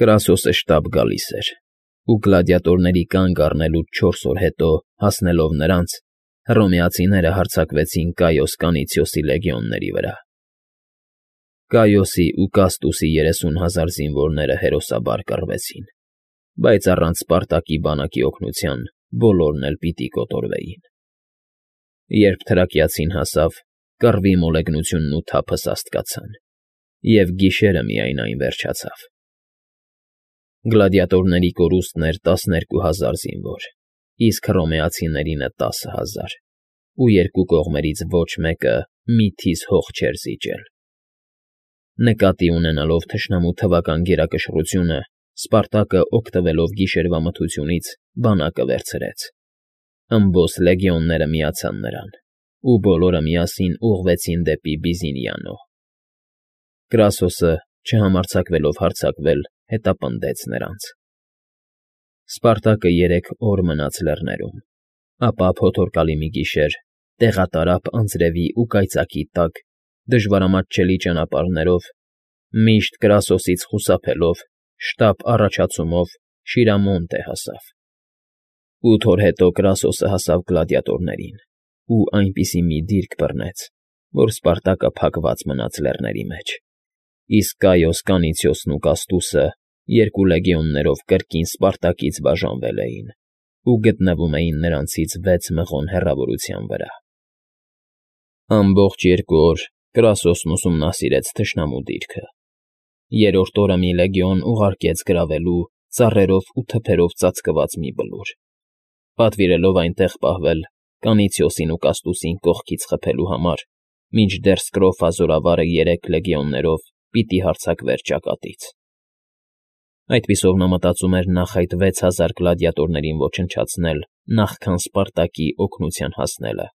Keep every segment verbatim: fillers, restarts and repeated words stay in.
Կրասոսը շտապ գալիս էր, ու գլադիատորների կանգ առնելուց չորս օր հետո, հասնելով նրանց, հռոմեացիները հարձակվեցին Կայոս Կանիցիոսի լեգիոնների վրա։ Կայոսի ու Կաստուսի երեսուն հազար զինվորները հերոսաբար կռվեցին, բայց առանց Սպարտակի բանակի օգնության բոլորն էլ պիտի կոտորվեին։ Երբ թրակիացին հասավ, կռվի մոլեգնությունն ու թափը սաստկացան, և գիշերը միայն այն վերջացավ։ Գլադիատորների կորուստն էր տասներկու հազար զինվոր, իսկ հռոմեացիներինը տասը հազար, ու երկու կողմերից ոչ մեկը մի թիզ հող չէր զիջել։ Նկատի ունենալով թշնամու թվական գերակշռությունը, Սպարտակը, օգտվելով գիշերվա մթությունից, բանակը վերցրեց։ Ըմբոստ լեգիոնները միացան նրան, ու բոլորը միասին ուղղվեցին դեպի Բիզինիանո։ Կրասոսը, չհամարձակվելով հարձակվել, հետապնդեց նրանց։ Սպարտակը երեք օր մնաց լեռներում, ապա փոթորկալի մի գիշեր, տեղատարափ անձրևի ու կայծակի տակ, դժվարամատչելի ճանապարհներով, միշտ Կրասոսից խուսափելով, շտապ առաջացումով Շիրամոնտե հասավ։ Ութ օր հետո Կրասոսը հասավ գլադիատորներին ու այնպիսի մի դիրք բռնեց, որ Սպարտակը փակված մնաց լեռների մեջ, իսկ Կայոս Կանիցիոսն ու Կաստուսը երկու լեգիոններով կրկին Սպարտակից բաժանվել էին ու գտնվում էին նրանցից վեց մղոն հեռավորության վրա։ Ամբողջ երկու օր Կրասոսն ուսումնասիրեց թշնամու դիրքը։ Երրորդ օրը մի լեգիոն ուղարկեց գրավելու ծառերով ու թփերով ծածկված մի բլուր, պատվիրելով այնտեղ պահվել Կանիցիոսին ու Կաստուսին կողքից խփելու համար, մինչդեռ Սկրոֆա զորավարը երեք լեգիոններով պիտի հարձակվեր ճակատից։ Այդպիսով նա մտածում էր նախ այդ վեց հազար գլադիատորներին ոչնչացնել նախքան Սպարտակի օգնության հասնելը,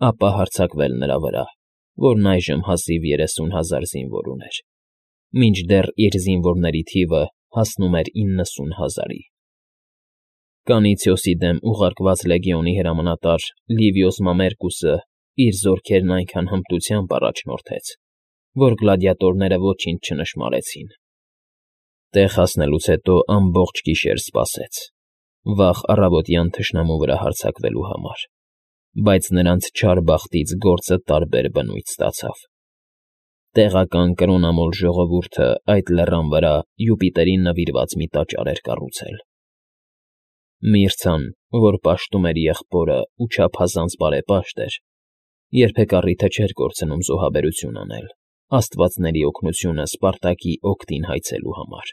ապա հարձակվել նրա վրա, որն այժմ հազիվ երեսուն հազար զինվոր ուներ, մինչդեռ իր զինվորների թիվը հասնում էր իննսուն հազարի։ Կանիցիոսի դեմ ուղարկված լեգիոնի հրամանատար Լիվիոս Մամերկուսը իր զորքերն այնքան հմտությամբ առաջնորդեց, որ գլադիատորները ոչինչ չնշմարեցին։ Տեղ հասնելուց հետո ամբողջ գիշեր սպասեց, վաղ առավոտյան թշնամու վրա հարձակվելու համար, բայց նրանց չար բախտից գործը տարբեր բնույթ ստացավ։ Տեղական կրոնամոլ ժողովուրդը այդ լեռան վրա Յուպիտերին նվիրված մի տաճար էր կառուցել։ Միրցան, որ պաշտում էր եղբորը ու չափազանց բարեպաշտ էր, երբեք առիթը չէր կորցնում զոհաբերություն անել, աստվածների օգնությունը Սպարտակի օգտին հայցելու համար։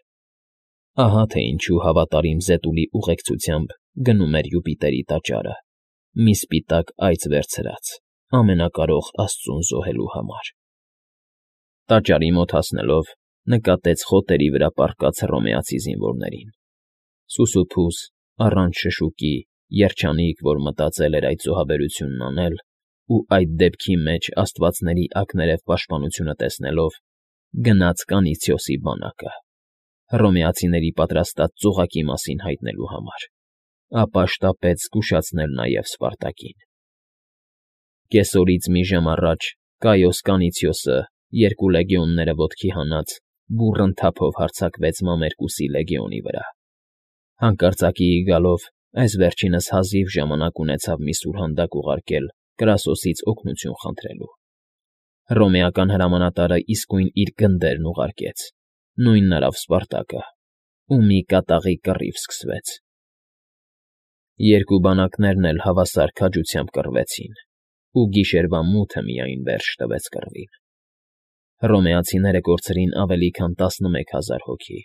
Ահա թե ինչու հավատարիմ Զետուլի ուղեկցությամբ գնում էր Յուպիտերի տաճարը, մի սպիտակ այծ վերցրած, ամենակարող աստծուն զոհելու համար։ Տաճարի մոտ հասնելով, նկատեց խոտերի վրա պառկած հռոմեացի զինվորներին։ Սուսուփուս, առանց շշուկի, երջանիկ, որ մտածել էր այդ զոհաբերությունն անել, ու այդ դեպքի մեջ աստվածների ակներև պաշտպանությունը տեսնելով, գնաց Կանիցիոսի բանակը, հռոմեացիների պատրաստած ծուղակի մասին հայտնելու համար, ապա շտապեց զգուշացնել նաև Սպարտակին։ Կեսօրից մի ժամ առաջ Կայոս Կանիցիոսը, երկու լեգիոնները ոտքի հանած, բուռն թափով հարձակվեց Մամերկուսի լեգիոնի վրա։ Հանկարծակիի գալով, այս վերջինս հազիվ ժամանակ ունեցավ մի սուրհանդակ ուղարկել Կրասոսից օգնություն խնդրելու։ Հռոմեական հրամանատարը իսկույն իր գնդերն ուղարկեց, նույնն արավ Սպարտակը, ու մի կատաղի կռիվ սկսվեց։ Երկու բանակներն էլ հավասար քաջությամբ կռվեցին, ու գիշերվա մութը միայն վերջ տվեց կռվին։ Հռոմեացիները կորցրին ավելի քան տասնմեկ հազար հոգի,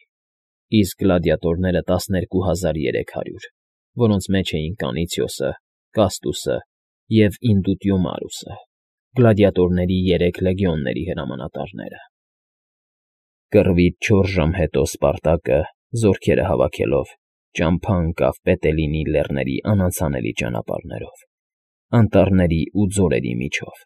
իսկ գլադիատորները տասներկու հազար երեք հարյուր, որոնց մեջ էին Կանիցիոսը, Կաստուսը և Ինդուտիոմարուսը, գլադիատորների երեք լեգիոնների հրամանատարները։ Կռվից չորս ժամ հետո Սպարտակը, զորքերը հավաքելով, ճամփա ընկավ Պետելինի լեռների անանցանելի ճանապարհներով, անտառների ու ձորերի միջով։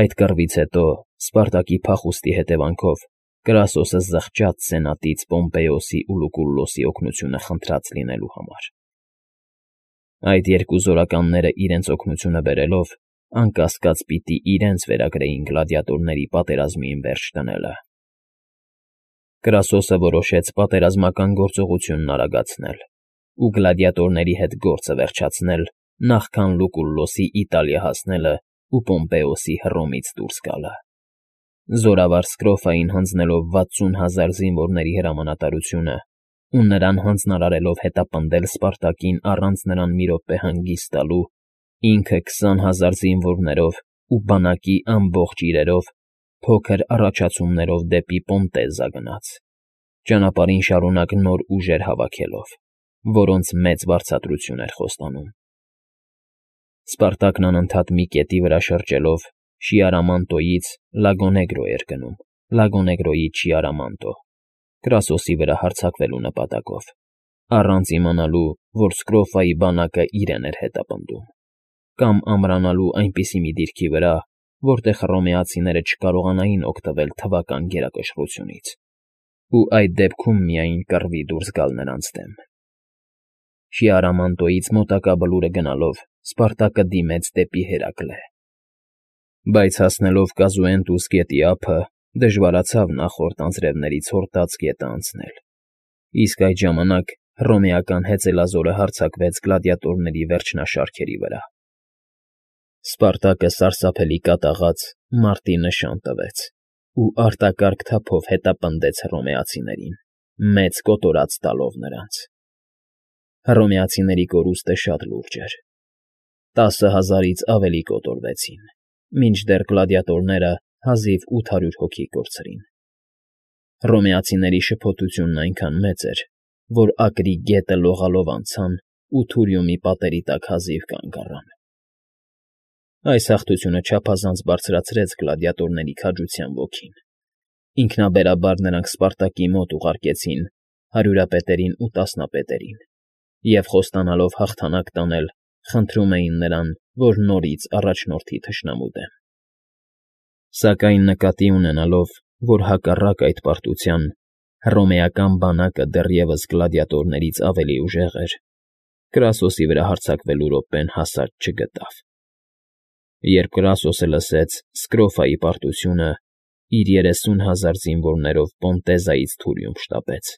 Այդ կռվից հետո, Սպարտակի փախուստի հետևանքով, Կրասոսը զղջաց սենատից Պոմպեոսի ու Լուկուլլոսի օգնությունը խնդրած լինելու համար։ Այդ երկու զորականները իրենց օգնությունը բերելով, անկասկած պիտի իրենց վերագրեին գլադիատորների պատերազմին վերջ դնելը։ Կրասոսը որոշեց պատերազմական գործողությունն արագացնել ու գլադիատորների հետ գործը վերջացնել, նախքան Լուկուլլոսի Իտալիա հասնելը ու Պոմպեոսի Հռոմից դուրս գալը։ Զորավար Սկրոֆային հանձնելով վաթսուն հազար զինվորների հրամանատարությունը ու նրան հանձնարարելով հետապնդել Սպարտակին առանց նրան մի րոպե հանգիստ տալու, ինքը քսան հազար զինվորներով ու բանակի ամբողջ իրերով փոքր առաջացումներով դեպի Պոնտեզա գնաց, ճանապարհին շարունակ նոր ուժեր հավաքելով, որոնց մեծ վարձատրություն էր խոստանում։ Սպարտակն անընդհատ մի կետի վրա շրջելով Շիարամանտոյից Լագոնեգրո էր գնում, Լագոնեգրոյից Շիարամանտո, Կրասոսի վրա հարձակվելու նպատակով, առանց իմանալու, որ Սկրոֆայի բանակը իրեն էր հետապնդում, կամ ամրանալու այնպիսի մի դիրքի վրա, որտեղ հռոմեացիները չկարողանային օգտվել թվական գերակշռությունից, ու այդ դեպքում միայն կռվի դուրս գալ նրանց դեմ։ Շիարամանտոյից մոտակա բլուրը գնալով Սպարտակը դիմեց դեպի Հերակլե։ Բայց հասնելով Կազուենտուս գետի ափը, դժվարացավ նախորդ անձրևներից հորտած գետը անցնել, իսկ այդ ժամանակ հռոմեական հեծելազորը հարձակվեց գլադիատորների վերջնաշարքերի վրա։ Սպարտակը սարսափելի կատաղած մարտի նշան տվեց ու արտակարգ թափով հետապնդեց հռոմեացիներին, մեծ կոտորած տալով նրանց։ Հռոմեացիների կորուստը շատ լուրջ էր. տասը հազարից ավելի կոտորվեցին, մինչդեռ գլադիատորները հազիվ ութ հարյուր հոգի կորցրին։ Հռոմեացիների շփոթությունն այնքան մեծ էր, որ Ակրի գետը լողալով անցան ու Թուրիումի պատերի տակ հազիվ կանգ առան։ Այս հաղթությունը չափազանց բարձրացրեց գլադիատորների քաջության ոգին։ Ինքնաբերաբար նրանք Սպարտակի մոտ ուղարկեցին հարյուրապետերին ու տասնապետերին և, խոստանալով հաղթանակ տանել, խնդրում էին նրան, որ նորից առաջնորդի թշնամու դեմ։ Սակայն նկատի ունենալով, որ հակառակ այդ պարտության հռոմեական բանակը դեռևս գլադիատորներից ավելի ուժեղ էր, Կրասոսի վրա հարձակվելու րոպեն հասած չգտավ։ Երբ Կրասոսը լսեց Սկրոֆայի պարտությունը, իր երեսուն հազար զինվորներով Պոնտեզայից Թուրիում շտապեց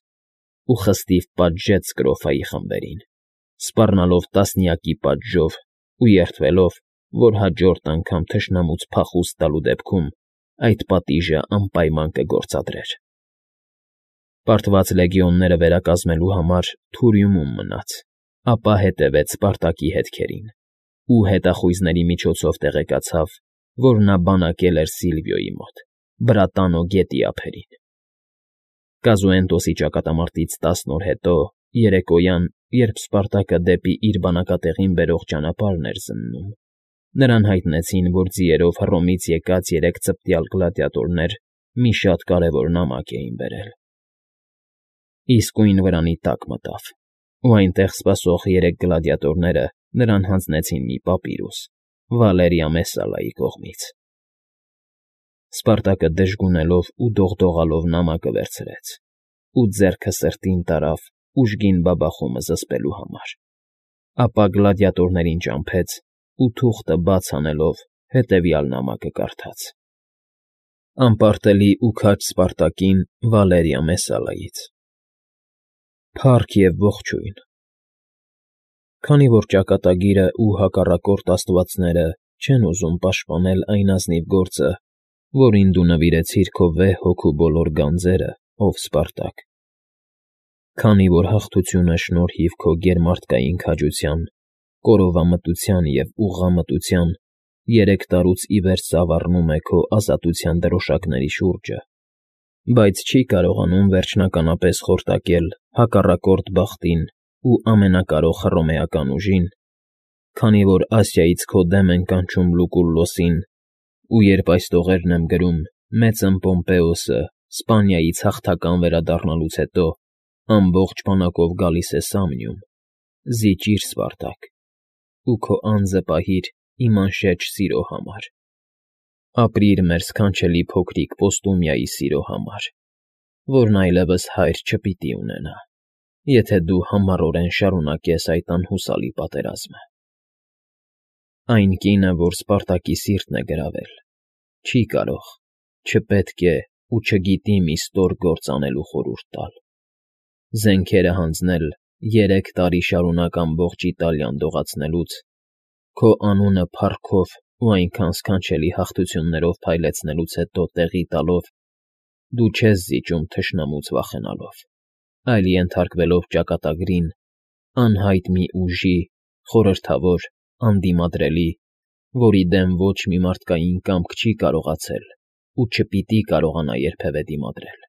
ու խստիվ պատժեց Սկրոֆայի խմբերին, սպառնալով տասնյակի պատժով ու երդվելով, որ հաջորդ անգամ թշնամուց փախուստ տալու դեպքում այդ պատիժը անպայման կգործադրեր։ Պարտված լեգիոնները վերակազմելու համար Թուրիումում մնաց, ապա հետևեց Սպարտակի հետքերին ու հետախույզների միջոցով տեղեկացավ, որ նա բանակել էր Սիլվիոյի մոտ, Բրատանո գետի ափերին։ Կազուենտոսի ճակատամարտից տասն օր հետո, երեկոյան, երբ Սպարտակը դեպի իր բանակատեղին բերող ճանապարհն էր զննում, նրան հայտնեցին, որ ձիերով Հռոմից եկած երեք ծպտյալ գլադիատորներ մի շատ կարևոր նամակ էին բերել։ Իսկույն վրանի տակ մտավ, ու այնտեղ սպասող երեք գլադիատորները նրան հանձնեցին մի պապիրուս Վալերիա Մեսսալայի կողմից։ Սպարտակը դժգունելով ու դողդողալով նամակը վերցրեց ու ձեռքը սրտին տարավ ուժգին բաբախումը զսպելու համար, ապա գլադիատորներին ճամփեց ու թուղթը բաց անելով հետևյալ նամակը կարդաց. Անպարտելի ու քաջ Սպարտակին Վալերիա Մեսսալայից։ Փառք և ողջույն։ Քանի որ ճակատագիրը ու հակառակորդ աստվածները չեն ուզում պաշտպանել այն ազնիվ գործը, որին դու նվիրեցիր քո վեհ հոգու բոլոր գանձերը, ով Սպարտակ, քանի որ հաղթությունը շնորհիվ քո գերմարդկային քաջության, կորովամտության և ուղղամտության երեք տարուց ի վեր ծավառնում է քո ազատության դրոշակների շուրջը, բայց չի կարողանում վերջնականապես խորտակել հակառակորդ բախտին ու ամենակարող հռոմեական ուժին, քանի որ Ասիայից քո դեմ են կանչում Լուկուլլոսին, ու երբ այս տողերն եմ գրում, մեծն Պոմպեոսը Սպանիայից հաղթական վերադառնալուց հետո ամբողջ բանակով գալիս է Սամնիում, զիջիր Սպարտակ, ու քո անձը պահիր իմ անշեջ սիրո համար, ապրիր մեր սքանչելի փոքրիկ Պոստումիայի սիրո համար, որն այլևս հայր չպիտի ունենա, եթե դու համառորեն շարունակես այդ անհուսալի պատերազմը։ Այն կինը, որ Սպարտակի սիրտն է գրավել, չի կարող, չպետք է ու չգիտի մի ստոր գործ անելու խորհուրդ տալ, զենքերը հանձնել երեք տարի շարունակ ամբողջ Իտալիան դողացնելուց, քո անունը փառքով ու այնքան սքանչելի հաղթություններով փայլեցնելուց հետո տեղի տալով, դու չես զիջում թշնամուց վախենալով, այլ ենթարկվելով ճակատագրին, անհայտ մի ուժի, խորհրդավոր, անդիմադրելի, որի դեմ ոչ մի մարդկային կամք չի կարողացել ու չպիտի կարողանա երբևէ դիմադրել,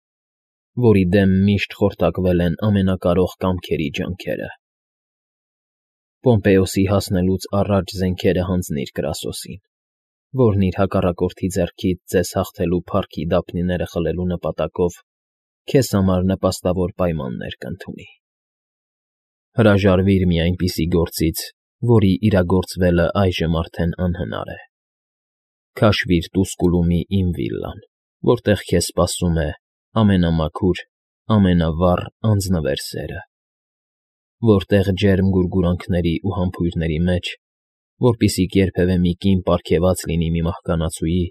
որի դեմ միշտ խորտակվել են ամենակարող կամքերի ջանքերը։ Պոմպեոսի հասնելուց առաջ զենքերը հանձնիր Կրասոսին, որն իր հակառակորդի ձեռքից ձեզ հաղթելու փառքի դափնիները խլելու նպատակով քեզ համար նպաստավոր պայմաններ կընդունի։ Հրաժարվիր մի այնպիսի գործից, որի իրագործվելը այժմ արդեն անհնար է։ Քաշվիր Տուսկուլումի իմ վիլլան, որտեղ քեզ սպասում է ամենամաքուր, ամենավառ անձնվեր սերը, որտեղ ջերմ գուրգուրանքների ու համբույրների մեջ, որպիսիք երբևէ մի կին պարգևած լինի մի մահկանացուի,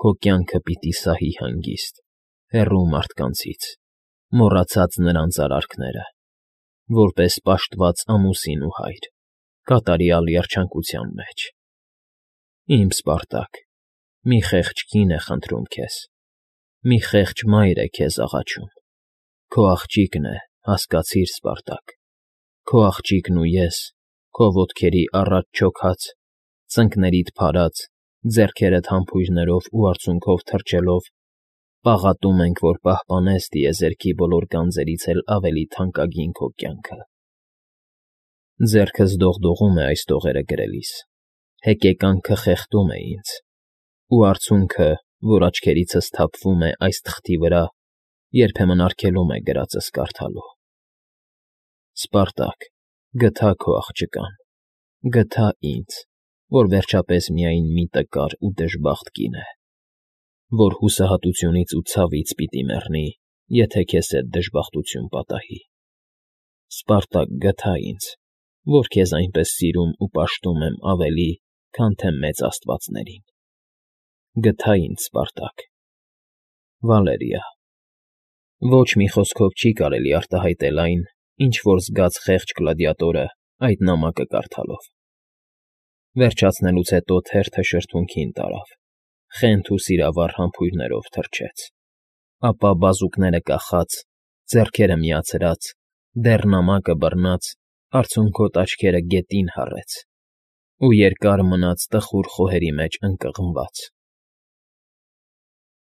քո կյանքը պիտի սահի հանգիստ, հեռու մարդկանցից, մոռացած նրանց արարքները, որպես պաշտված ամուսին ու հայր, կատարյալ երջանկության մեջ։ Իմ Սպարտակ, մի խեղճ կին է խնդրում քեզ, մի խեղճ մայր է քեզ աղաչում, քո աղջիկն է, հասկացիր, Սպարտակ, քո աղջիկն ու ես, քո ոտքերի առաջ չոքած, ծնկներիդ փարած, ձեռքերդ համբույրներով ու արցունքով թրջելով, պաղատում ենք, որ պահպանես տիեզերքի բոլոր գանձերից էլ ավելի թանկագին քո կյանքը։ Ձեռքս դողդողում է այս տողերը գրելիս, հեկեկանքը խեղդում է ինձ, ու արցունքը, որ աչքերիցս թափվում է այս թղթի վրա, երբեմն արգելում է գրածս կարդալու։ Սպարտակ, գթա քո աղջկան, գթա ինձ, որ վերջապես միայն մի տկար ու դժբախտ կին է, որ հուսահատությունից ու ցավից պիտի մեռնի, եթե քեզ հետ դժբախտություն պատահի։ Սպարտակ, գթա ինձ, որ քեզ այնպես սիրում ու պաշտում եմ ավելի, քան թե մեծ աստվածներին։ Գթա ինձ, Սպարտակ։ Վալերիա։ Ոչ մի խոսքով չի կարելի արտահայտել այն, ինչ որ զգաց խեղճ գլադիատորը այդ նամակը կարդալով։ Վերջացնելուց հետո թերթը շրթունքին տարավ, խենթ ու սիրավառ համբույրներով թրջեց, ապա բազուկները կախած, ձեռքերը միացրած, դեռ նամակը բռնած, արցունքոտ աչքերը գետին հառեց ու երկար մնաց տխուր խոհերի մեջ ընկղմված։